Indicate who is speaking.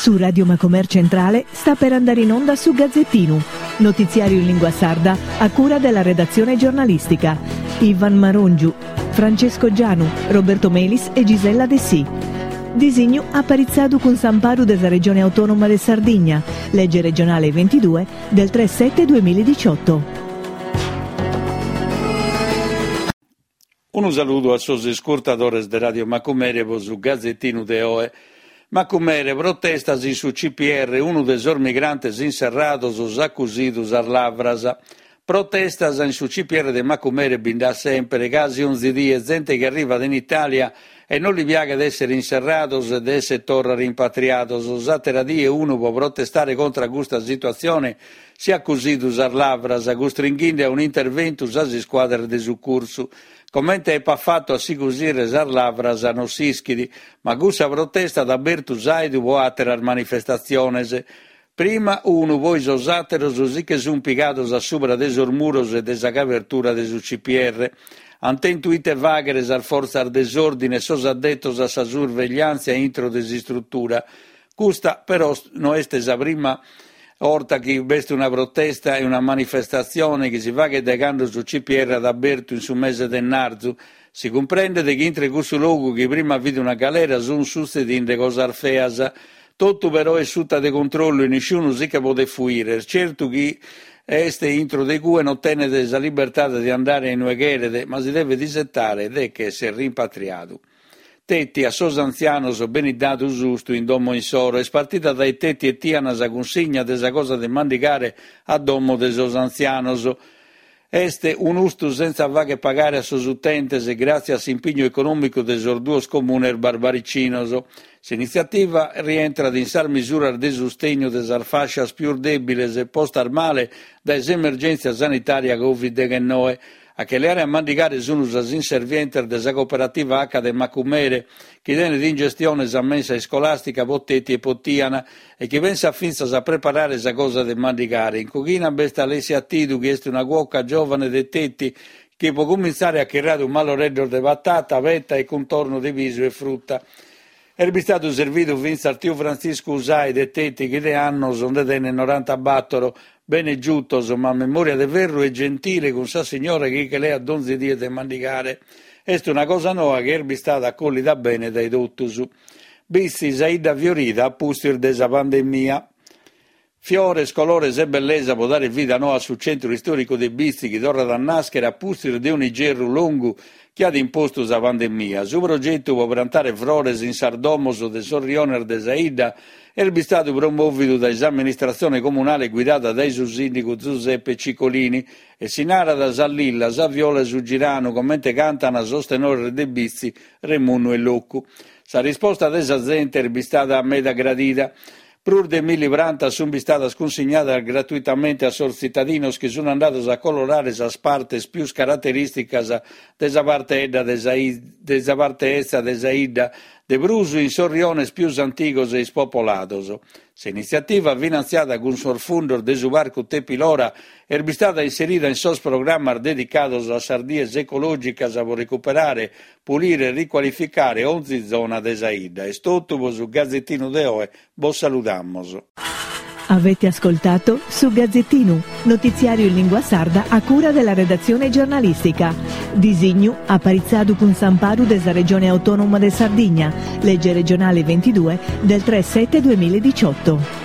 Speaker 1: Su Radio Macomer Centrale sta per andare in onda su Gazzettinu, notiziario in lingua sarda a cura della redazione giornalistica. Ivan Marongiu, Francesco Gianu, Roberto Melis e Gisella Dessì. Disignu aparitzadu cun s'amparu de sa Regione Autonoma de Sardigna, lege regionale 22 del 3 7 2018.
Speaker 2: Unu saludu a sos iscurtadores de Radio Macumere pro su Gazetinu de oe. Macumere, protestas in su CPR, unu de sos migrantes inserrados s'at cusidu sas lavras. Protestas in su CPR de Macumere bi nd'at semper, casi onzi die, zente chi arrivat in Itàlia e non li piaghet èssere inserrados e de èssere torra rimpatriados. S'àtera die unu pro protestare contra custa situatzione si at cusidu sas lavras, custringhende a un'interventu sas iscuadras de sucursu. Comente epat fatu a si cusire sas lavras non s'ischit, ma cussa protesta at abertu s'àidu pro àteras manifestatziones. Prima unu, poi sos àteros si che sunt pigados a subra de sos muros e de sa cabertura de su CPR. Ant tentu ite fàghere sas fortzas de s'òrdine e sos addetos a sa survegliàntzia intro de s'istrutura. Custa però no est sa prima 'orta chi b'est una protesta e una manifestatzione chi si faghet dae cando su CPR at abertu in su mese de 'ennarzu. Si cumprendet chi intre cussu logu chi prima fit una galera sunt sutzedinde cosas feas. Totu però est suta de controllu e nisciunu si che podet fuire. Est certu chi est intro de cue non tenet sa libertade de andare a inue cheret, ma si devet isetare de ch'esser rimpatriadu. Teti, a sos antzianos benit dadu s'ustu in domo insoro. Est partida dae Teti e Tiana sa cunsigna de sa cosa de mandigare a domo de sos antzianos. Est un'ustu sentza fagher pagare a sos utentes gràtzias a s'impignu econòmicu de sos duos comunes barbaricinos. S'initziativa rientrat in sas misuras de sustegnu de sas fàscias pius dèbiles postas male dae s'emergèntzia sanitària Covid deghennoe. A che leare a mandigare sun sas inservientes de sa cooperativa Aca de Macumere, chi tenet in gestione sa mensa iscolàstica po Teti e po Tiana e chi pensat fintzas a preparare sa cosa de mandigare. In coghina b'est Alessia Tidu, chi est una cuoca giòvane de Teti, chi po cumintzare at chirradu malloreddos de patata, peta e cuntornu de pisu e fruta. Est bistadu servidu fintzas tiu Frantziscu Usai de Teti chi de annos nde tenet norantabàtoro, bene giutos, ma memòria de ferru e gentile cun sa signora chi che leat donzi die de mandigare. Est una cosa noa chi est bistada acollida bene dae totus. Bitzi sa 'idda fiorida a pustis de sa pandemia. Fiores, colores e bellesa pro dare vida noa a su centru istòricu de Bitzi chi torrat a nàschere a pustis de un'igerru longu chi at impostu sa pandemia. Su progetu pro prantare frores in sas domos de sos riones de sa 'idda est bistadu promòvidu dae s'amministratzione comunale guidada dae su sìndigu Zuseppe Cicolini e si narat Sa lilla, sa viola e su giranu, comente cantan sos tenores de Bitzi, Remunnu e Locu. Sa risposta de sa zente est bistada meda gradida. Prus de milli prantas sunt bistadas cunsignadas gratuitamente a sos tzitadinos chi sunt andados a colorare sas partes pius caraterìsticas de sa parte 'edda de sa de sa parte 'etza de sa 'idda, de prus in sos riones pius antigos e ispopolados. S'initziativa, finantziada cun sos fundos de su Parcu Tepilora, est bistada inserida in sos programmas dedicados a sas dies ecològicas pro recuperare Pulire e ricualificare onzi zona de sa 'idda. Est totu pro su Gazetinu de oe, bos saludamos.
Speaker 1: Avete ascoltato Su Gazzettinu, notiziario in lingua sarda a cura della redazione giornalistica. Disignu aparitzadu cun s'amparu de sa Regione Autonoma de Sardigna, legge regionale 22 del 3 7 2018.